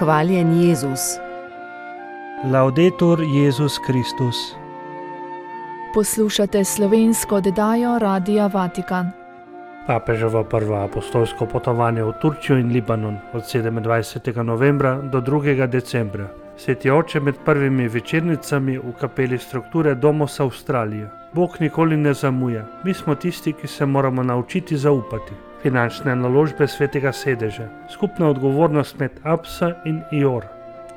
Hvaljen Jezus. Laudetur Jezus Kristus. Poslušate slovensko oddajo Radia Vatikan. Papeževo prvo apostolsko potovanje v Turčijo in Libanon od 27. novembra do 2. decembra. Sveti oče med prvimi večernicami v kapeli strukture Domus Australije. Bog nikoli ne zamuja. Mi smo tisti, ki se moramo naučiti zaupati. Finančne naložbe svetega sedeža. Skupna odgovornost med Absa in Ior.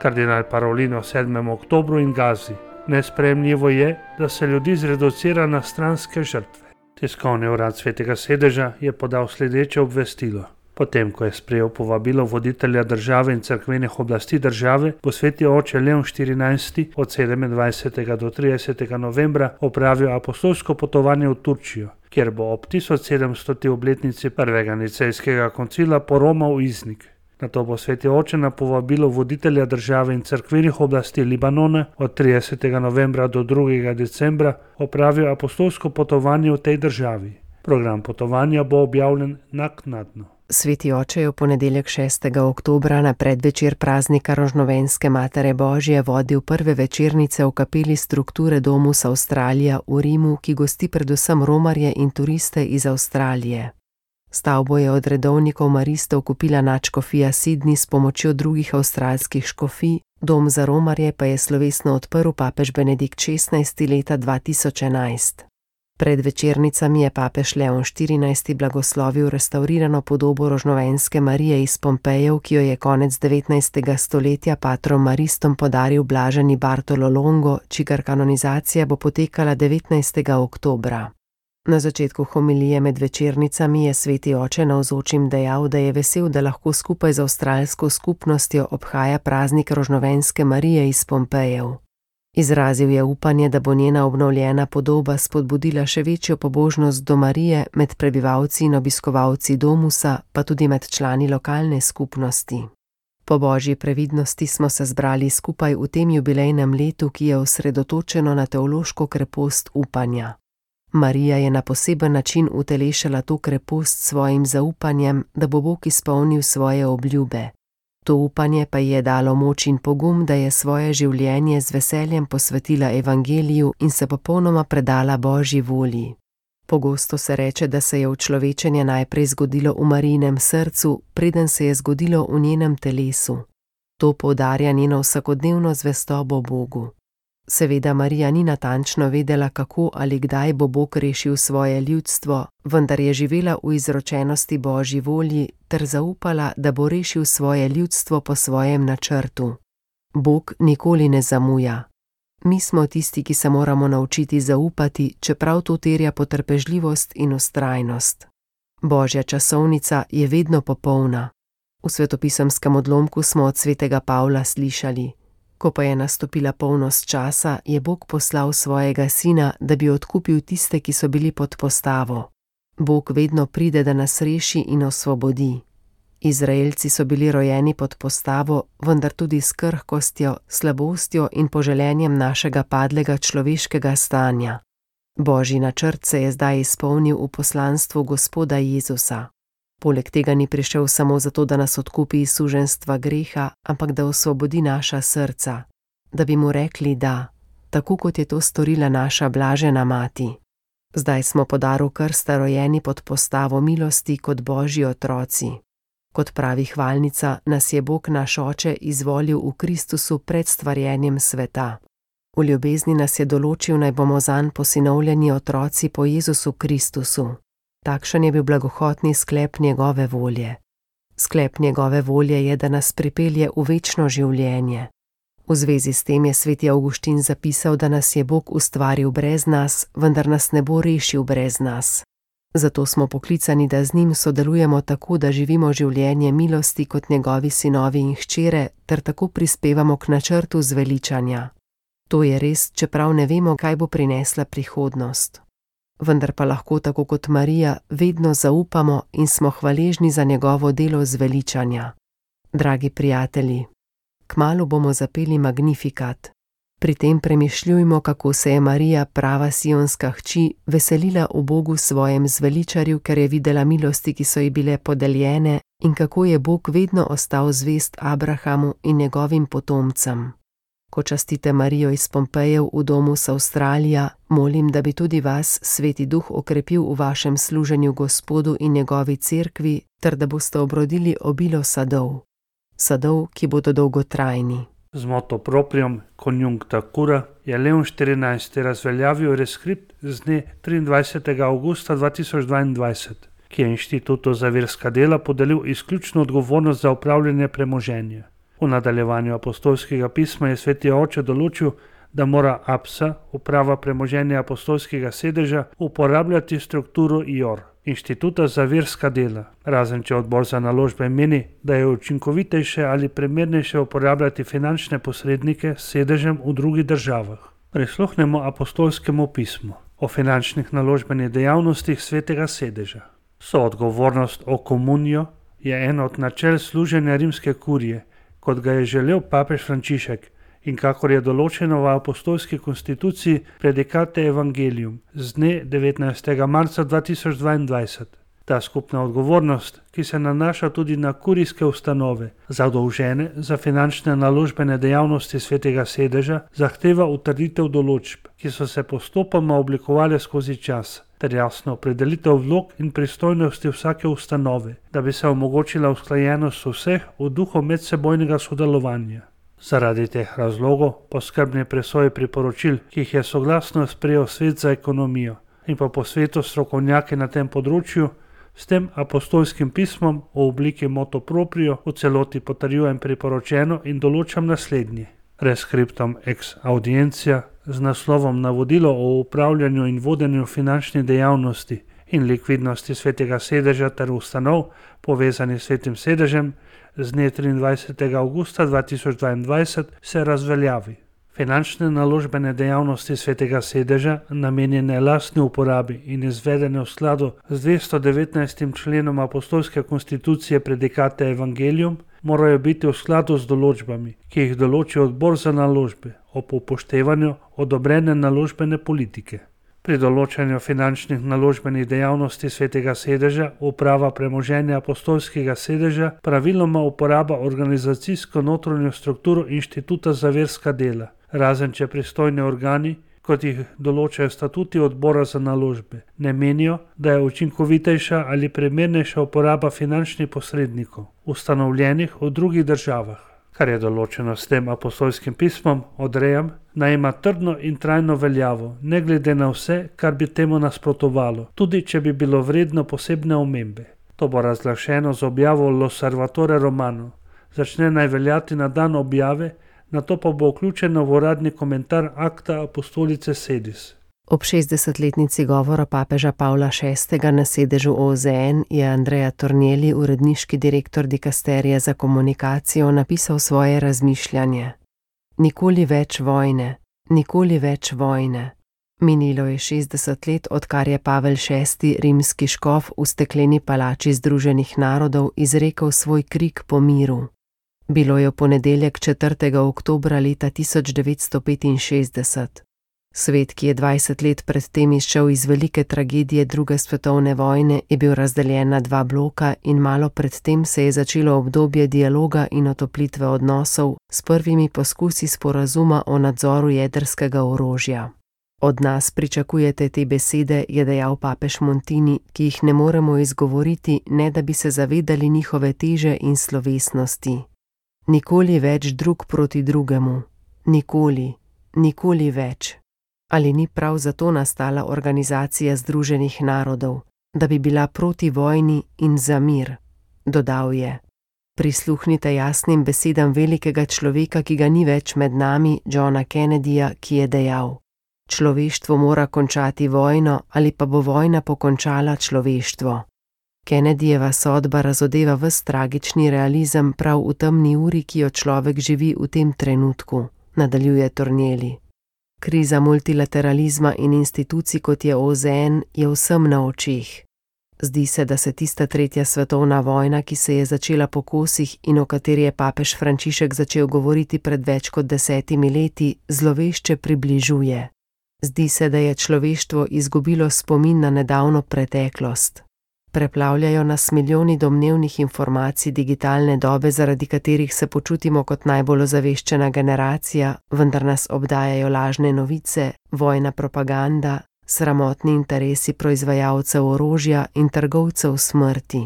Kardinal Parolin o 7. oktobru in Gazi. Nesprejemljivo je, da se ljudi zreducira na stranske žrtve. Tiskovni urad svetega sedeža je podal sledeče obvestilo. Potem, ko je sprejel povabilo voditelja države in cerkvenih oblasti države, bo sveti oče Leon XIV. Od 27. do 30. novembra opravil apostolsko potovanje v Turčijo, kjer bo ob 1700. obletnici prvega nicejskega koncila poromal Iznik. Nato bo sveti oče na povabilo voditelja države in cerkvenih oblasti Libanona od 30. novembra do 2. decembra opravil apostolsko potovanje v tej državi. Program potovanja bo objavljen naknadno. Sveti oče je v ponedeljek 6. oktobra na predvečer praznika Rožnovenske Matere Božje vodil prve večernice v kapeli strukture Domus Australija v Rimu, ki gosti predvsem romarje in turiste iz Avstralije. Stavbo je od redovnikov maristov kupila nadškofija Sydney s pomočjo drugih avstralskih škofij, dom za romarje pa je slovesno odprl papež Benedikt XVI. Leta 2011. Pred večernicami je papež Leon XIV. Blagoslovil restavrirano podobo Rožnovenske Marije iz Pompejev, ki jo je konec 19. stoletja patrom maristom podaril blaženi Bartolo Longo, čigar kanonizacija bo potekala 19. oktobra. Na začetku homilije med večernicami je sveti oče navzočim dejal, da je vesel, da lahko skupaj z avstralsko skupnostjo obhaja praznik Rožnovenske Marije iz Pompejev. Izrazil je upanje, da bo njena obnovljena podoba spodbudila še večjo pobožnost do Marije med prebivalci in obiskovalci domusa, pa tudi med člani lokalne skupnosti. Po božji previdnosti smo se zbrali skupaj v tem jubilejnem letu, ki je osredotočeno na teološko krepost upanja. Marija je na poseben način utelešala to krepost s svojim zaupanjem, da bo Bog izpolnil svoje obljube. To upanje pa ji je dalo moč in pogum, da je svoje življenje z veseljem posvetila evangeliju in se popolnoma predala Božji volji. Pogosto se reče, da se je učlovečenje najprej zgodilo v Marijinem srcu, preden se je zgodilo v njenem telesu. To poudarja njeno vsakodnevno zvestobo Bogu. Seveda Marija ni natančno vedela, kako ali kdaj bo Bog rešil svoje ljudstvo, vendar je živela v izročenosti Božji volji ter zaupala, da bo rešil svoje ljudstvo po svojem načrtu. Bog nikoli ne zamuja. Mi smo tisti, ki se moramo naučiti zaupati, čeprav to terja potrpežljivost in vztrajnost. Božja časovnica je vedno popolna. V svetopisemskem odlomku smo od svetega Pavla slišali: ko pa je nastopila polnost časa, je Bog poslal svojega sina, da bi odkupil tiste, ki so bili pod postavo. Bog vedno pride, da nas reši in osvobodi. Izraelci so bili rojeni pod postavo, vendar tudi s krhkostjo, slabostjo in poželenjem našega padlega človeškega stanja. Božji načrt se je zdaj izpolnil v poslanstvu Gospoda Jezusa. Poleg tega ni prišel samo zato, da nas odkupi iz suženjstva greha, ampak da osvobodi naša srca, da bi mu rekli da, tako kot je to storila naša blažena mati. Zdaj smo po daru krsta rojeni pod postavo milosti kot Božji otroci. Kot pravi hvalnica, nas je Bog naš Oče izvolil v Kristusu pred stvarjenjem sveta. V ljubezni nas je določil, naj bomo zanj posinovljeni otroci po Jezusu Kristusu. Takšen je bil blagohotni sklep njegove volje. Sklep njegove volje je, da nas pripelje v večno življenje. V zvezi s tem je sveti Avguštin zapisal, da nas je Bog ustvaril brez nas, vendar nas ne bo rešil brez nas. Zato smo poklicani, da z njim sodelujemo tako, da živimo življenje milosti kot njegovi sinovi in hčere, ter tako prispevamo k načrtu zveličanja. To je res, čeprav ne vemo, kaj bo prinesla prihodnost. Vendar pa lahko tako kot Marija vedno zaupamo in smo hvaležni za njegovo delo zveličanja. Dragi prijatelji, kmalu bomo zapeli Magnificat. Pri tem premišljujmo, kako se je Marija, prava sionska hči, veselila v Bogu svojem zveličarju, ker je videla milosti, ki so ji bile podeljene, in kako je Bog vedno ostal zvest Abrahamu in njegovim potomcem. Ko častite Marijo iz Pompejev v domu z Avstralija, molim, da bi tudi vas Sveti Duh okrepil v vašem služenju Gospodu in njegovi cerkvi, ter da boste obrodili obilo sadov. Sadov, ki bodo dolgotrajni. Z moto proprium conjuncta cura je Leon XIV. Razveljavil reskript z dne 23. augusta 2022, ki je Inštitutu za verska dela podelil izključno odgovornost za upravljanje premoženja. V nadaljevanju apostolskega pisma je Sveti Oče določil, da mora APSA, uprava premoženja apostolskega sedeža, uporabljati strukturo IOR, Inštituta za verska dela, razen če odbor za naložbe meni, da je učinkovitejše ali primernejše uporabljati finančne posrednike s sedežem v drugih državah. Prisluhnemo apostolskemu pismu o finančnih naložbenih dejavnostih svetega sedeža. Soodgovornost o komunijo je eno od načel služenja rimske kurije, kot ga je želel papež Frančišek in kakor je določeno v apostolski konstituciji Predicate Evangelium z dne 19. marca 2022. Ta skupna odgovornost, ki se nanaša tudi na kurijske ustanove, zadolžene za finančne naložbene dejavnosti svetega sedeža, zahteva utrditev določb, ki so se postopoma oblikovale skozi čas, ter jasno opredelitev vlog in pristojnosti vsake ustanove, da bi se omogočila usklajenost vseh v duhu medsebojnega sodelovanja. Zaradi teh razlogov po skrbni presoji priporočil, ki jih je soglasno sprejel Svet za ekonomijo in pa po svetu strokovnjaki na tem področju, s tem apostolskim pismom v obliki moto proprio v celoti potrjujem priporočeno in določam naslednje. Rescriptum ex audiencia z naslovom Navodilo o upravljanju in vodenju finančnih dejavnosti in likvidnosti svetega sedeža ter ustanov povezani s svetim sedežem z dne 23. augusta 2022 se razveljavi. Finančne naložbene dejavnosti svetega sedeža, namenjene lastni uporabi in izvedene v skladu z 219. členom apostolske konstitucije Predicate Evangelium, morajo biti v skladu z določbami, ki jih določi odbor za naložbe ob upoštevanju odobrene naložbene politike. Pri določanju finančnih naložbenih dejavnosti svetega sedeža uprava premoženja apostolskega sedeža praviloma uporaba organizacijsko notranjo strukturo Inštituta za verska dela, razen če pristojni organi, kot jih določajo statuti odbora za naložbe, ne menijo, da je učinkovitejša ali primernejša uporaba finančnih posrednikov, ustanovljenih v drugih državah. Kar je določeno s tem apostolskim pismom, odrejam, naj ima trdno in trajno veljavo, ne glede na vse, kar bi temu nasprotovalo, tudi če bi bilo vredno posebne omembe. To bo razglašeno z objavo L'Osservatore Romano. Začne naj veljati na dan objave, nato pa bo vključeno v uradni komentar Acta Apostolice Sedis. Ob 60-letnici govora papeža Pavla VI. Na sedežu OZN je Andrea Tornielli, uredniški direktor dikasterija za komunikacijo, napisal svoje razmišljanje. Nikoli več vojne, nikoli več vojne. Minilo je 60 let, odkar je Pavel VI., rimski škof, v stekleni palači Združenih narodov izrekel svoj krik po miru. Bilo je v ponedeljek 4. oktobra leta 1965. Svet, ki je 20 let predtem izšel iz velike tragedije druge svetovne vojne, je bil razdeljen na dva bloka in malo predtem se je začelo obdobje dialoga in otoplitve odnosov s prvimi poskusi sporazuma o nadzoru jedrskega orožja. Od nas pričakujete te besede, je dejal papež Montini, ki jih ne moremo izgovoriti, ne da bi se zavedali njihove teže in slovesnosti. Nikoli več drug proti drugemu. Nikoli, nikoli več. Ali ni prav zato nastala Organizacija Združenih narodov, da bi bila proti vojni in za mir, dodal je. Prisluhnite jasnim besedam velikega človeka, ki ga ni več med nami, Johna Kennedyja, ki je dejal: človeštvo mora končati vojno ali pa bo vojna pokončala človeštvo. Kennedyjeva sodba razodeva ves tragični realizem prav v temni uri, ki jo človek živi v tem trenutku, nadaljuje Tornielli. Kriza multilateralizma in institucij, kot je OZN, je vsem na očeh. Zdi se, da se tista tretja svetovna vojna, ki se je začela po kosih in o kateri je papež Frančišek začel govoriti pred več kot 10 leti, zlovešče približuje. Zdi se, da je človeštvo izgubilo spomin na nedavno preteklost. Preplavljajo nas milijoni domnevnih informacij digitalne dobe, zaradi katerih se počutimo kot najbolj ozaveščena generacija, vendar nas obdajajo lažne novice, vojna propaganda, sramotni interesi proizvajalcev orožja in trgovcev smrti.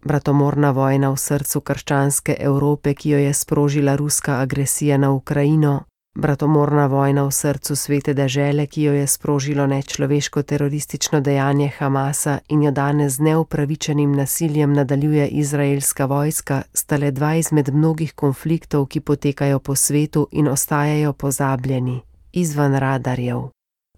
Bratomorna vojna v srcu krščanske Evrope, ki jo je sprožila ruska agresija na Ukrajino, bratomorna vojna v srcu svete dežele, ki jo je sprožilo nečloveško teroristično dejanje Hamasa in jo danes z neupravičenim nasiljem nadaljuje izraelska vojska, sta le dva izmed mnogih konfliktov, ki potekajo po svetu in ostajajo pozabljeni, izven radarjev.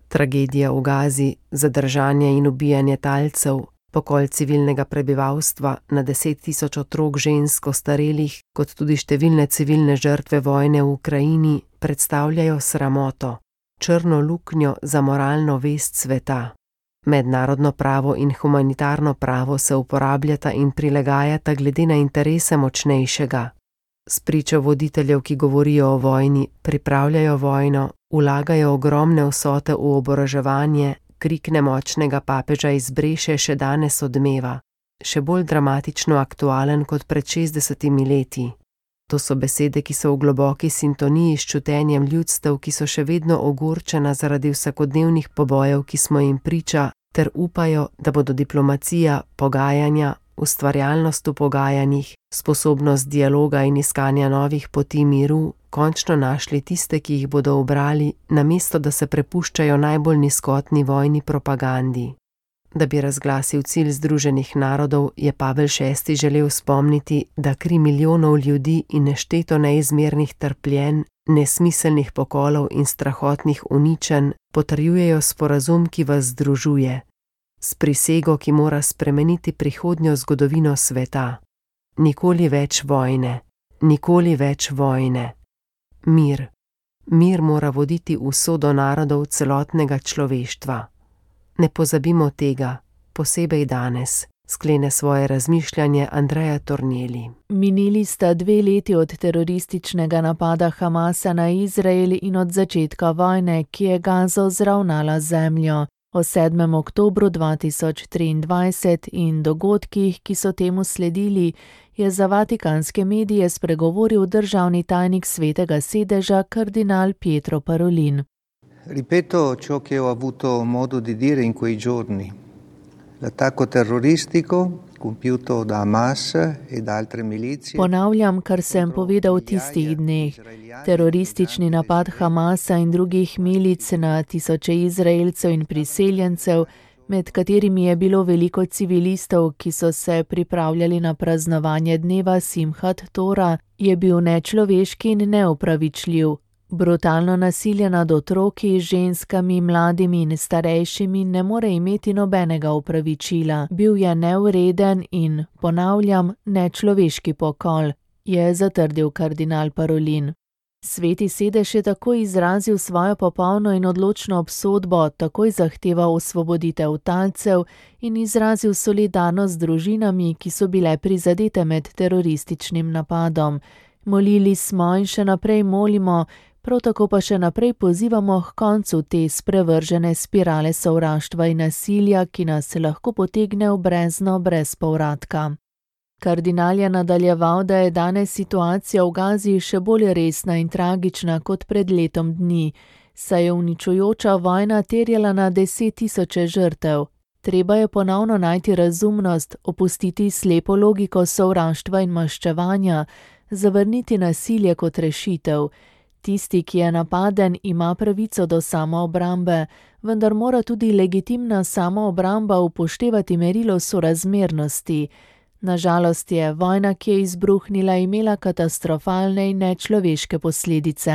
Tragedija v Gazi, zadržanje in ubijanje talcev, pokol civilnega prebivalstva, na 10 tisoč otrok, žensk, ostarelih, kot tudi številne civilne žrtve vojne v Ukrajini, predstavljajo sramoto, črno luknjo za moralno vest sveta. Mednarodno pravo in humanitarno pravo se uporabljata in prilagajata glede na interese močnejšega. Spričo voditeljev, ki govorijo o vojni, pripravljajo vojno, vlagajo ogromne vsote v oboroževanje, krik nemočnega papeža iz Breše še danes odmeva, še bolj dramatično aktualen kot pred 60 leti. To so besede, ki so v globoki sintoniji s čutenjem ljudstev, ki so še vedno ogorčena zaradi vsakodnevnih pobojev, ki smo jim priča, ter upajo, da bodo diplomacija, pogajanja, ustvarjalnost v pogajanjih, sposobnost dialoga in iskanja novih poti miru končno našli tiste, ki jih bodo ubrali, namesto da se prepuščajo najbolj nizkotni vojni propagandi. Da bi razglasil cilj Združenih narodov, je Pavel VI. Želel spomniti, da kri milijonov ljudi in nešteto neizmernih trpljenj, nesmiselnih pokolov in strahotnih uničenj potrjujejo sporazum, ki vas združuje, s prisego, ki mora spremeniti prihodnjo zgodovino sveta. Nikoli več vojne, nikoli več vojne. Mir. Mir mora voditi usodo narodov celotnega človeštva. Ne pozabimo tega, posebej danes, sklene svoje razmišljanje Andrea Tornielli. Minili sta 2 leti od terorističnega napada Hamasa na Izrael in od začetka vojne, ki je Gazo zravnala zemljo. O 7. oktobru 2023 in dogodkih, ki so temu sledili, je za vatikanske medije spregovoril državni tajnik Svetega sedeža kardinal Pietro Parolin. Ripeto ciò che ho avuto modo di dire in quei giorni. L'attacco terroristico compiuto da Hamas e da altre milizie. Ponavljam, kar sem povedal v tistih dneh. Teroristični napad Hamasa in drugih milic na tisoče Izraelcev in priseljencev, med katerimi je bilo veliko civilistov, ki so se pripravljali na praznovanje dneva Simhat Tora, je bil nečloveški in neopravičljiv. Brutalno nasilje nad otroki, ženskami, mladimi in starejšimi ne more imeti nobenega opravičila. Bil je nevreden in, ponavljam, nečloveški pokol, je zatrdil kardinal Parolin. Sveti sedež je takoj izrazil svojo popolno in odločno obsodbo, takoj zahteval osvoboditev talcev in izrazil solidarnost z družinami, ki so bile prizadete med terorističnim napadom. Molili smo in še naprej molimo, prav tako pa še naprej pozivamo k koncu te sprevržene spirale sovraštva in nasilja, ki nas lahko potegne v brezno brez povratka. Kardinal je nadaljeval, da je danes situacija v Gazi še bolj resna in tragična kot pred letom dni, saj je uničujoča vojna terjala na 10 tisoče žrtev. Treba je ponovno najti razumnost, opustiti slepo logiko sovraštva in maščevanja, zavrniti nasilje kot rešitev. Tisti, ki je napaden, ima pravico do samoobrambe, vendar mora tudi legitimna samoobramba upoštevati merilo sorazmernosti. Nažalost je vojna, ki je izbruhnila, imela katastrofalne in nečloveške posledice.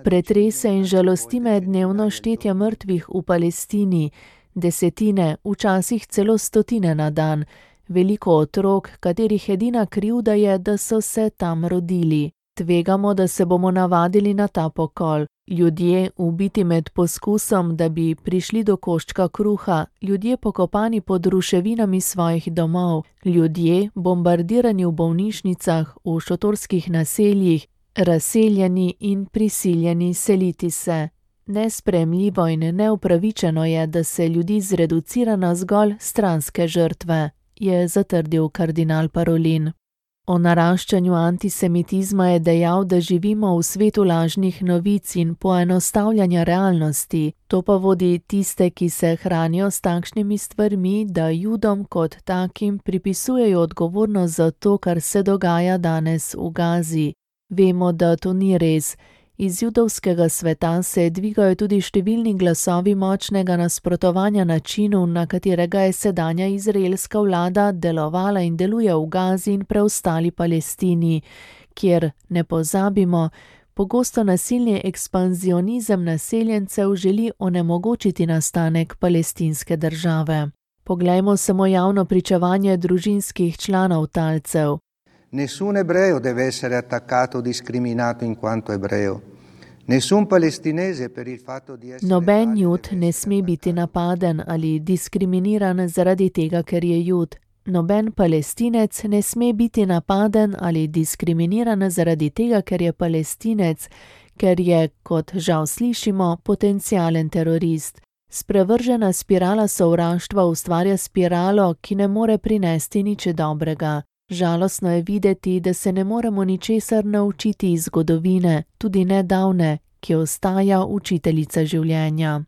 Pretrese in žalosti me dnevno štetje mrtvih v Palestini, desetine, včasih celo stotine na dan. Veliko otrok, katerih edina krivda je, da so se tam rodili. Tvegamo, da se bomo navadili na ta pokol. Ljudje, ubiti med poskusom, da bi prišli do koščka kruha, ljudje pokopani pod ruševinami svojih domov, ljudje, bombardirani v bolnišnicah, v šotorskih naseljih, razseljeni in prisiljeni seliti se. Nesprejemljivo in neupravičeno je, da se ljudi zreducira na zgolj stranske žrtve, je zatrdil kardinal Parolin. O naraščanju antisemitizma je dejal, da živimo v svetu lažnih novic in poenostavljanja realnosti. To pa vodi tiste, ki se hranijo s takšnimi stvarmi, da Judom kot takim pripisujejo odgovornost za to, kar se dogaja danes v Gazi. Vemo, da to ni res. Iz judovskega sveta se dvigajo tudi številni glasovi močnega nasprotovanja načinu, na katerega je sedanja izraelska vlada delovala in deluje v Gazi in preostali Palestini, kjer, ne pozabimo, pogosto nasilni ekspanzionizem naseljencev želi onemogočiti nastanek palestinske države. Poglejmo samo javno pričevanje družinskih članov talcev. Nessun ebreo deve essere attaccato o discriminato in quanto ebreo. Nessun palestinese per il fatto di essere Noben Jud ne sme biti napaden ali diskriminiran zaradi tega, ker je Jud. Noben Palestinec ne sme biti napaden ali diskriminiran zaradi tega, ker je Palestinec, ker je, kot žal slišimo, potencialen terorist. Sprevržena spirala sovraštva ustvarja spiralo, ki ne more prinesti nič dobrega. Žalostno je videti, da se ne moremo ničesar naučiti iz zgodovine, tudi nedavne, ki ostaja učiteljica življenja.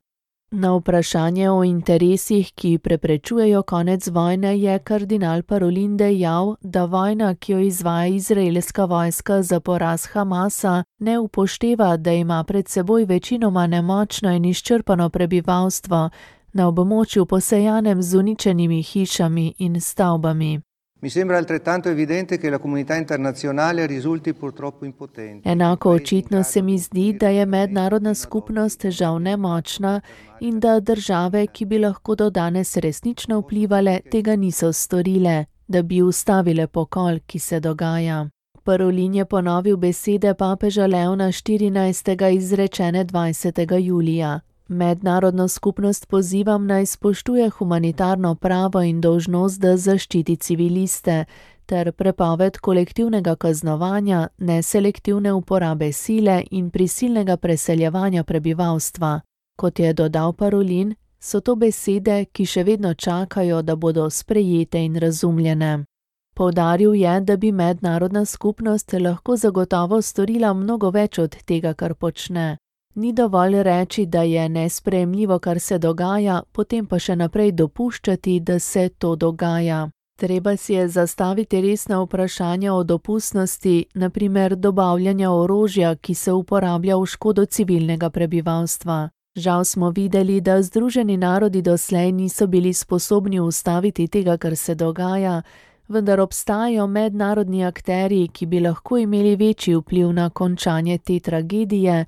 Na vprašanje o interesih, ki preprečujejo konec vojne, je kardinal Parolin dejal, da vojna, ki jo izvaja izraelska vojska za poraz Hamasa, ne upošteva, da ima pred seboj večinoma nemočno in izčrpano prebivalstvo na območju posejanem z uničenimi hišami in stavbami. Mi sembra altrettanto evidente che la comunità internazionale risulti purtroppo impotente. Enako očitno se mi zdi, da je mednarodna skupnost žal nemočna in da države, ki bi lahko do danes resnično vplivale, tega niso storile, da bi ustavile pokol, ki se dogaja. Parolin je ponovil besede papeža Leona XIV. Izrečene 20. julija. Mednarodno skupnost pozivam naj spoštuje humanitarno pravo in dolžnost, da zaščiti civiliste, ter prepoved kolektivnega kaznovanja, neselektivne uporabe sile in prisilnega preseljevanja prebivalstva. Kot je dodal Parolin, so to besede, ki še vedno čakajo, da bodo sprejete in razumljene. Poudaril je, da bi mednarodna skupnost lahko zagotovo storila mnogo več od tega, kar počne. Ni dovolj reči, da je nesprejemljivo, kar se dogaja, potem pa še naprej dopuščati, da se to dogaja. Treba si je zastaviti resna vprašanja o dopustnosti, na primer dobavljanja orožja, ki se uporablja v škodo civilnega prebivalstva. Žal smo videli, da Združeni narodi doslej niso bili sposobni ustaviti tega, kar se dogaja, vendar obstajajo mednarodni akterji, ki bi lahko imeli večji vpliv na končanje te tragedije.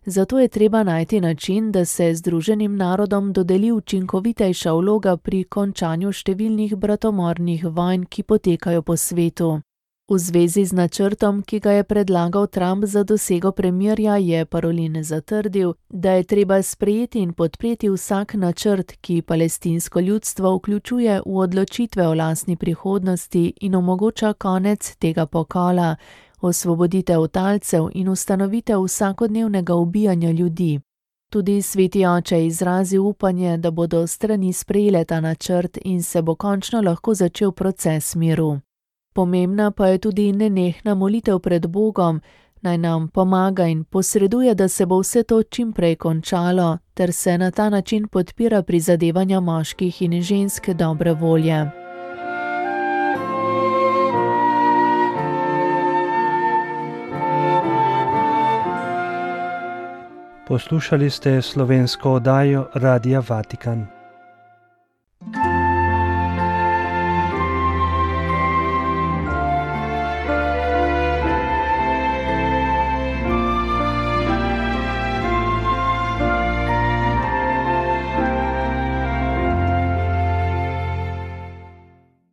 Zato je treba najti način, da se Združenim narodom dodeli učinkovitejša vloga pri končanju številnih bratomornih vojn, ki potekajo po svetu. V zvezi z načrtom, ki ga je predlagal Trump za dosego premirja, je Parolin zatrdil, da je treba sprejeti in podpreti vsak načrt, ki palestinsko ljudstvo vključuje v odločitve o lastni prihodnosti in omogoča konec tega pokola, osvoboditev talcev in ustanovitev vsakodnevnega ubijanja ljudi. Tudi sveti oče je izrazil upanje, da bodo strani sprejele ta načrt in se bo končno lahko začel proces miru. Pomembna pa je tudi nenehna molitev pred Bogom, naj nam pomaga in posreduje, da se bo vse to čim prej končalo, ter se na ta način podpira prizadevanja moških in žensk dobre volje. Poslušali ste slovensko oddajo Radia Vatikan.